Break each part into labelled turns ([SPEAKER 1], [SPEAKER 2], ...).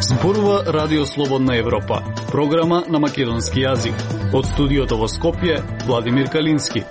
[SPEAKER 1] Зборува Радио Слободна Европа, програма на македонски јазик. Од студиото во Скопје, Владимир Калински.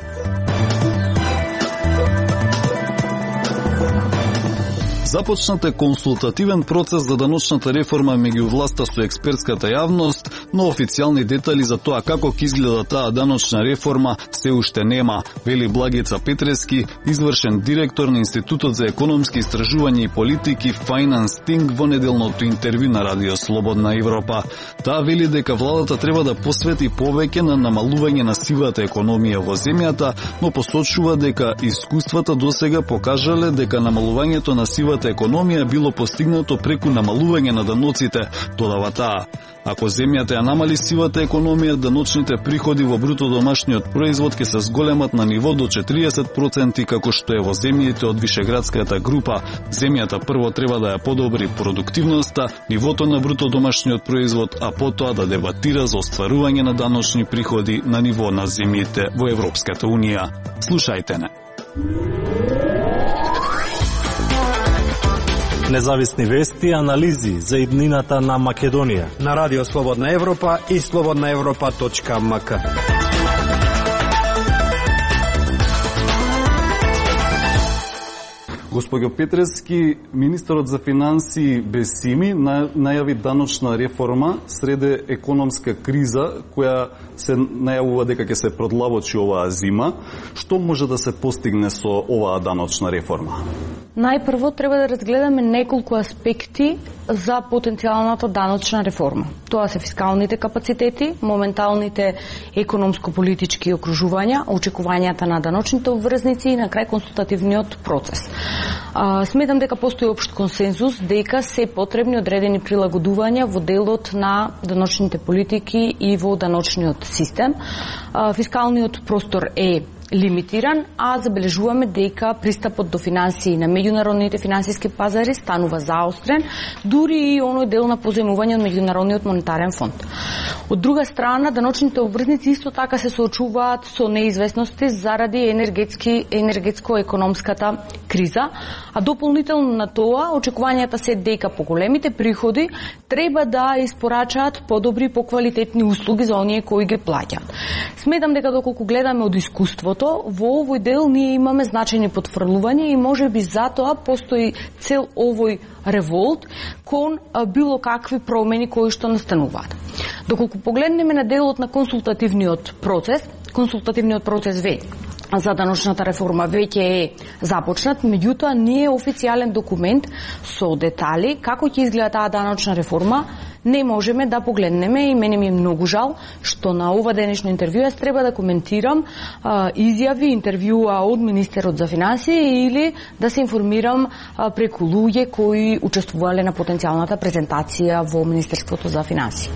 [SPEAKER 1] Започнат е консултативен процес за даночната реформа меѓу власта со експертската јавност, но официјални детали за тоа како ќе изгледа таа даночна реформа се уште нема, вели Благица Петрески, извршен директор на Институтот за економски истражувања и политики Finance Think во неделното интервју на Радио Слободна Европа. Таа вели дека владата треба да посвети повеќе на намалување на сивата економија во земјата, но посочува дека искуствата досега покажале дека намалувањето на сивата економија било постигнато преку намалување на даноците, додава таа. Ако земјата ја намали сивата економија, даночните приходи во бруто домашниот производ ќе се зголемат на ниво до 40% како што е во земјите од Вишеградската група. Земјата прво треба да ја подобри продуктивноста, нивото на бруто домашниот производ, а потоа да дебатира за остварување на даночни приходи на ниво на земјите во Европската Унија. Слушајте не.
[SPEAKER 2] Независни вести и анализи за иднината на Македонија
[SPEAKER 3] на Радио Слободна Европа и slobodnaevropa.mk.
[SPEAKER 1] Госпоѓо Петрески, министерот за финансии Бесими најави даночна реформа среде економска криза која се најавува дека ќе се продлабочи оваа зима. Што може да се постигне со оваа даночна реформа?
[SPEAKER 4] Најпрво треба да разгледаме неколку аспекти за потенцијалната даночна реформа. Тоа се фискалните капацитети, моменталните економско-политички окружувања, очекувањата на даночните обврзници и на крај консултативниот процес. Сметам дека постои општ консензус дека се потребни одредени прилагодувања во делот на даночните политики и во даночниот систем. Фискалниот простор е лимитиран, а забележуваме дека пристапот до финансии на меѓународните финансиски пазари станува заострен, дури и оној дел на позајмување од Меѓународниот монетарен фонд. Од друга страна, даночните обврзници исто така се соочуваат со неизвестности заради енергетско-економската криза, а дополнително на тоа, очекувањата се дека поголемите приходи треба да испорачаат подобри, поквалитетни услуги за оние кои ги плаќаат. Сметам дека доколку гледаме од искуството, во овој дел ние имаме значајни потврлувања и можеби затоа постои цел овој револт кон било какви промени кои што настануваат. Доколку погледнеме на делот на консултативниот процес за даночната реформа веќе е започнат, меѓутоа не е официјален документ со детали како ќе изгледа таа даночна реформа. Не можеме да погледнеме и мене ми е многу жал што на ова денешно интервју јас треба да коментирам изјави, интервјуа од министерот за финансии или да се информирам преку луѓе кои учествувале на потенцијалната презентација во Министерството за финансии.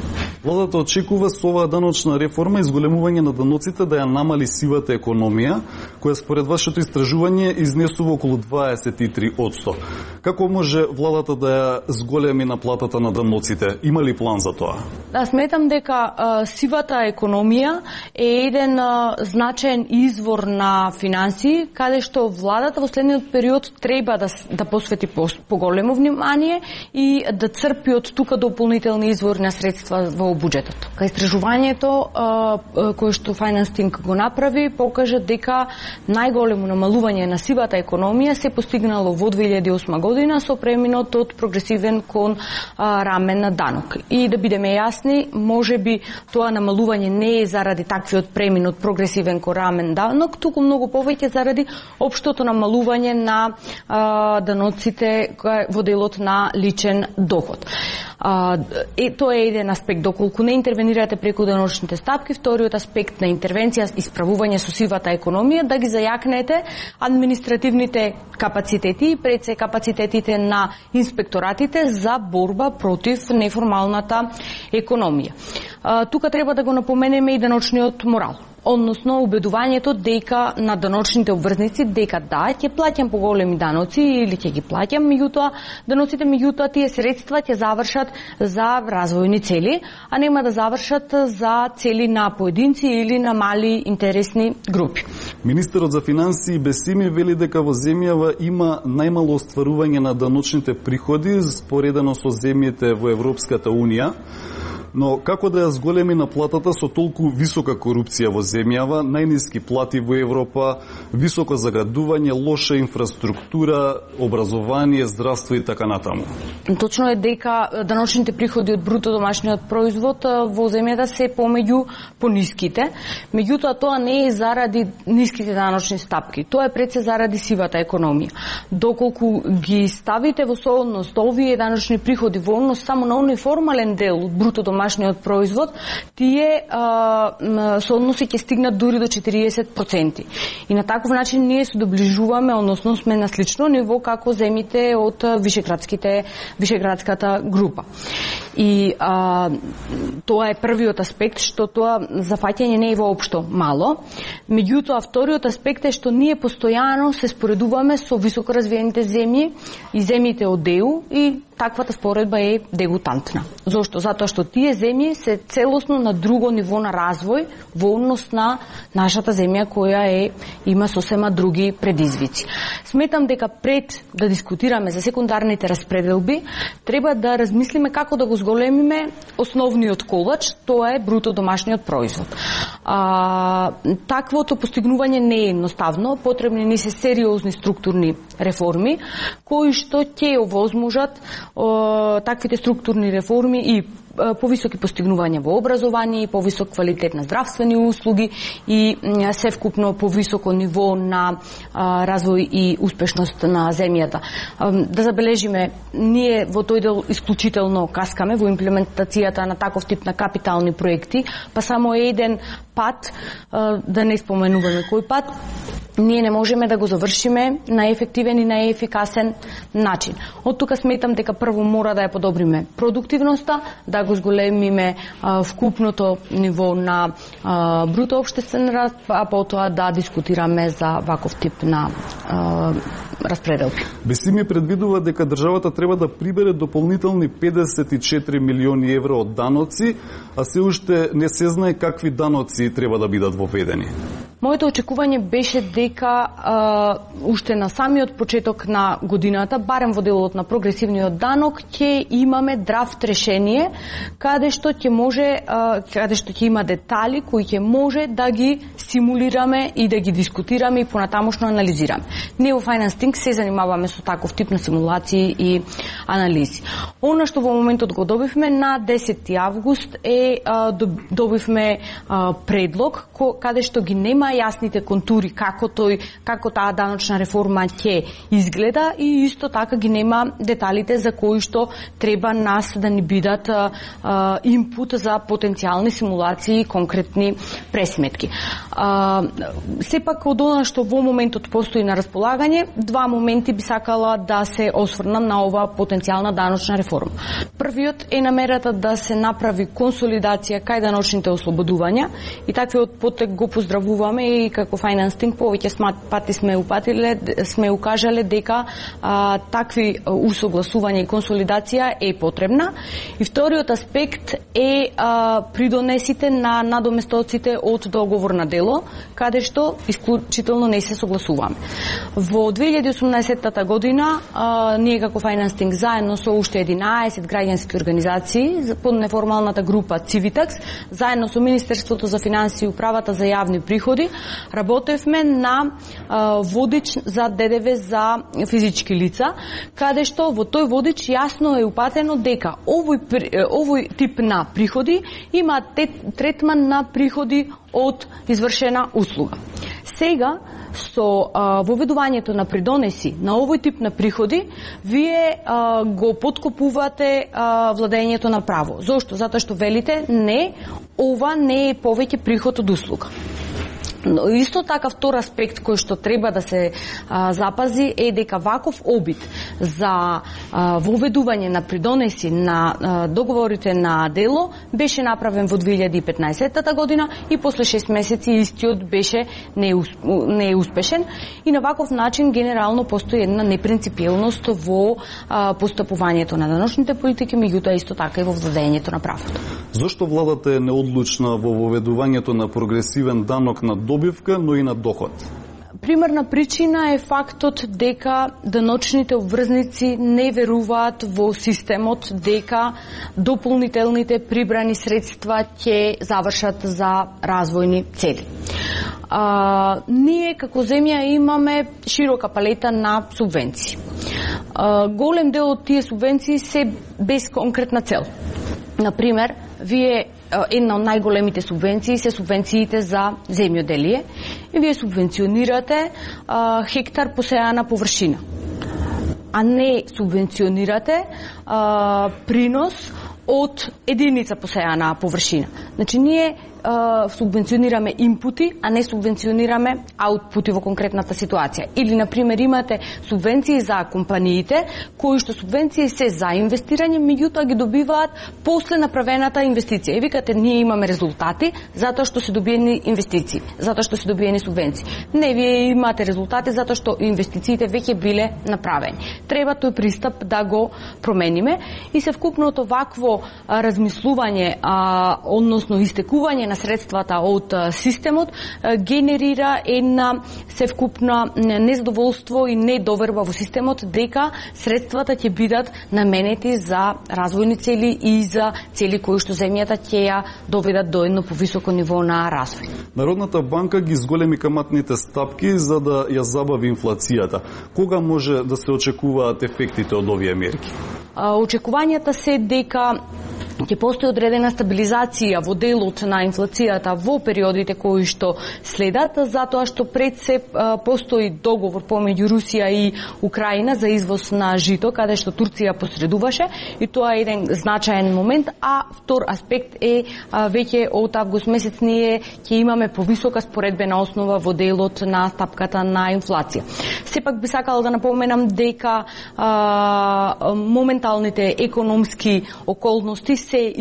[SPEAKER 1] Владата очекува со оваа даночна реформа изголемување на даноците да ја намали сивата економија, која според вашето истражување изнесува околу 23%. Како може владата да ја зголеми наплатата на даноците? Има ли план за тоа?
[SPEAKER 4] Да, сметам дека сивата економија е еден значаен извор на финансии, каде што владата во следниот период треба да посвети поголемо внимание и да црпи од тука дополнителни извори на средства во буџетот. Кај истражувањето кое што Finance Think го направи, покажа дека најголемо намалување на сивата економија се постигнало во 2008 година со преминот од прогресивен кон рамен на данок. И да бидеме јасни, можеби тоа намалување не е заради таквиот премин од прогресивен кон рамен данок, туку многу повеќе заради општото намалување на даноците во делот на личен доход. Тоа е еден аспект, доколку не интервенирате преку даночните стапки. Вториот аспект на интервенција и справување со сивата економија, да ги зајакнете административните капацитети и пред се капацитетите на инспекторатите за борба против неформалната економија. Тука треба да го напоменеме и даночниот морал, односно убедувањето дека на даночните обврзници дека да, ќе плаќам поголеми даноци или ќе ги плаќам, меѓутоа тие средства ќе завршат за развојни цели, а нема да завршат за цели на поединци или на мали интересни групи.
[SPEAKER 1] Министерот за финансии Бесими вели дека во земјава има најмало остварување на даночните приходи споредено со земјите во Европската Унија. Но како да ја зголеми на платата со толку висока корупција во земјава, најниски плати во Европа, високо заградување, лоша инфраструктура, образование, здравство и така натаму?
[SPEAKER 4] Точно е дека даночните приходи од бруто домашниот производ во земјата се помеѓу пониските. Меѓутоа тоа не е заради ниските даночни стапки. Тоа е пред се заради сивата економија. Доколку ги ставите во соодност овие даночни приходи во однос само на оној формален дел од бруто домашниот производ, тие соодноси ќе стигнат дури до 40%. И на таков начин ние се доближуваме, односно сме на слично ниво како земјите од Вишеградската група. И тоа е првиот аспект, што тоа зафаќање не е воопшто мало. Меѓутоа, вториот аспект е што ние постојано се споредуваме со високо развиените земји и земјите од ЕУ и таквата споредба е дегутантна. Зошто? Затоа што тие земји се целосно на друго ниво на развој во однос на нашата земја која има сосема други предизвици. Сметам дека пред да дискутираме за секундарните распределби, треба да размислиме како да го зголемиме основниот колач, тоа е бруто домашниот производ. Таквото постигнување не е едноставно, потребни ни се сериозни структурни реформи, кои што ќе овозможат таквите структурни реформи и повисоки постигнувања во образование, повисок квалитет на здравствени услуги и севкупно повисоко ниво на развој и успешност на земјата. Да забележиме, ние во тој дел исклучително каскаме во имплементацијата на таков тип на капитални проекти, па само еден пат, да не споменуваме кој пат, ние не можеме да го завршиме на ефективен и на ефикасен начин. Од тука сметам дека прво мора да ја подобриме продуктивноста, да го зголемиме вкупното ниво на бруто општествен раст, а потоа да дискутираме за ваков тип на распределки.
[SPEAKER 1] Бесими предвидува дека државата треба да прибере дополнителни 54 милиони евро од даноци, а се уште не се знае какви даноци треба да бидат воведени.
[SPEAKER 4] Моето очекување беше дека уште на самиот почеток на годината, барем во делот на прогресивниот данок, ќе имаме драфт решение каде што ќе има детали кои ќе може да ги симулираме и да ги дискутираме и понатамошно анализираме. Ние во Finance Think се занимаваме со таков тип на симулации и анализи. Она што во моментот го добивме на 10 август добивме предлог каде што ги нема јасните контури како таа даночна реформа ќе изгледа и исто така ги нема деталите за кои што треба нас да ни бидат инпут за потенцијални симулации и конкретни пресметки. Сепак од она што во моментот постои на располагање, два моменти би сакала да се осврнам на ова потенцијална даночна реформа. Првиот е намерата да се направи консолидација кај даночните ослободувања и таквиот потек го поздравуваме и како Finance Think повеќе пати сме укажале дека такви усогласувања и консолидација е потребна. И вториот аспект е придонесите на надоместоците од договор на дело, каде што исклучително не се согласуваме. Во 2018 година ние како Finance Think заедно со уште 11 граѓански организации под неформалната група Civitax, заедно со Министерството за финансии и Управата за јавни приходи, работевме на водич за ДДВ за физички лица, каде што во тој водич јасно е упатено дека овој тип на приходи има третман на приходи од извршена услуга. Сега, со воведувањето на придонеси на овој тип на приходи, вие го подкопувате владењето на право. Зошто? Затоа што велите, не, ова не е повеќе приход од услуга. Но исто така втор аспект кој што треба да се запази е дека ваков обид за воведување на придонеси на договорите на дело беше направен во 2015 година и после 6 месеци истиот беше неуспешен и на ваков начин генерално постои една непринципиелност во постапувањето на даночните политики, меѓутоа исто така и во владењето на правото.
[SPEAKER 1] Зошто владата е неодлучна во воведувањето на прогресивен данок на добивка, но и на доход?
[SPEAKER 4] Примерна причина е фактот дека деночните обврзници не веруваат во системот дека дополнителните прибрани средства ќе завршат за развојни цели. Ние како земја имаме широка палета на субвенции. Голем дел од тие субвенции се без конкретна цел. Например, една од најголемите субвенции се субвенциите за земјоделие и вие субвенционирате хектар посејана површина, а не субвенционирате принос од единица посејана површина. Значи, ние субвенционираме инпути, а не субвенционираме аутпути во конкретната ситуација. Или, например, имате субвенции за компаниите, кои што субвенции се за инвестирање, меѓутоа ги добиваат после направената инвестиција. И викате, ние имаме резултати затоа што се добиени инвестиции, затоа што се добиени субвенции. Не, вие имате резултати затоа што инвестициите веќе биле направени. Треба тој пристап да го промениме и севкупното вакво размислување, односно истекување на средствата од системот генерира една севкупна незадоволство и недоверба во системот дека средствата ќе бидат наменети за развојни цели и за цели кои што земјата ќе ја доведат до едно повисоко ниво на развој.
[SPEAKER 1] Народната банка ги зголеми каматните стапки за да ја забави инфлацијата. Кога може да се очекуваат ефектите од овие мерки?
[SPEAKER 4] Очекувањата се дека ќе постои одредена стабилизација во делот на инфлацијата во периодите кои што следат, затоа што пред се постои договор помеѓу Русија и Украина за извоз на жито, каде што Турција посредуваше, и тоа е еден значаен момент, а втор аспект е веќе од август месец ние ќе имаме повисока споредбена основа во делот на стапката на инфлација. Сепак би сакала да напоменам дека моменталните економски околности се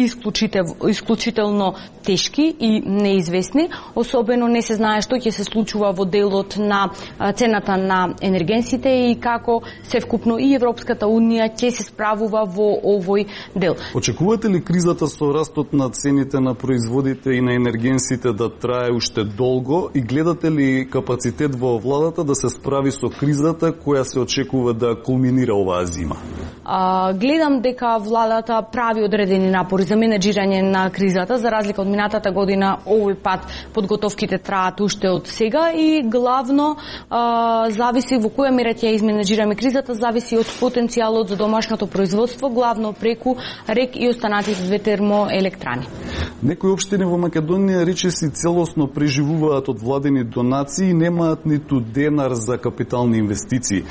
[SPEAKER 4] исклучително тешки и неизвестни, особено не се знае што ќе се случува во делот на цената на енергенсите и како севкупно и Европската унија ќе се справува во овој дел.
[SPEAKER 1] Очекувате ли кризата со растот на цените на производите и на енергенсите да трае уште долго и гледате ли капацитет во владата да се справи со кризата која се очекува да кулминира оваа зима?
[SPEAKER 4] Гледам дека владата прави одредени напори за менеджирање на кризата, за разлика од минатата година. Овој пат подготовките траат уште од сега и главно зависи во која мера ќе изменеджираме кризата, зависи од потенцијалот за домашното производство, главно преку РЕК и останатите две термоелектрани.
[SPEAKER 1] Некои општини во Македонија речиси целосно преживуваат од владени донации и немаат ниту денар за капитални инвестиции.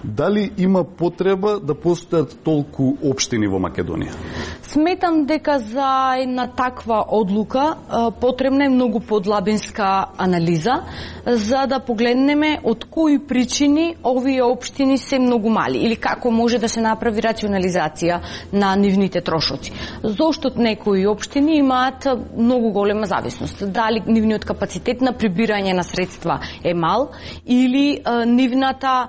[SPEAKER 1] Дали има потреба да постојат толку општини во Македонија?
[SPEAKER 4] Сметам дека за една таква одлука потребна е многу подлабинска анализа за да погледнеме од кои причини овие општини се многу мали или како може да се направи рационализација на нивните трошоци. Зошто некои општини имаат многу голема зависност? Дали нивниот капацитет на прибирање на средства е мал или нивната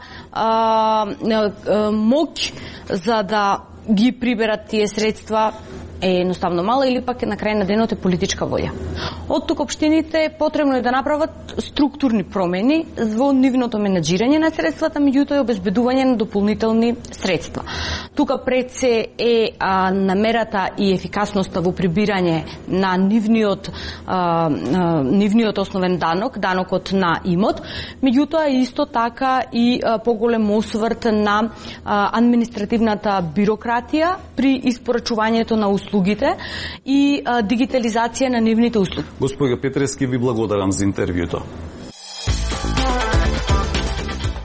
[SPEAKER 4] моќ за да ги приберат тие средства е едноставно мала или пак на крај на денот е политичка волја. Од тук општините потребно е да направат структурни промени во нивното менеджирање на средствата, меѓутоа и обезбедување на дополнителни средства. Тука пред се е намерата и ефикасноста во прибирање на нивниот основен данок, данокот на имот, меѓутоа исто така и поголем осврт на административната бирократија при испорачувањето на услугите и дигитализација на нивните услуги.
[SPEAKER 1] Господја Петрески, ви благодарам за интервјуто.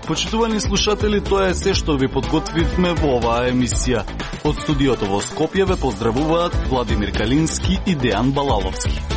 [SPEAKER 1] Почитувани слушатели, тоа е се што ви подготвивме во оваа емисија. Од студиото во Скопје ве поздравуваат Владимир Калински и Дејан Балаловски.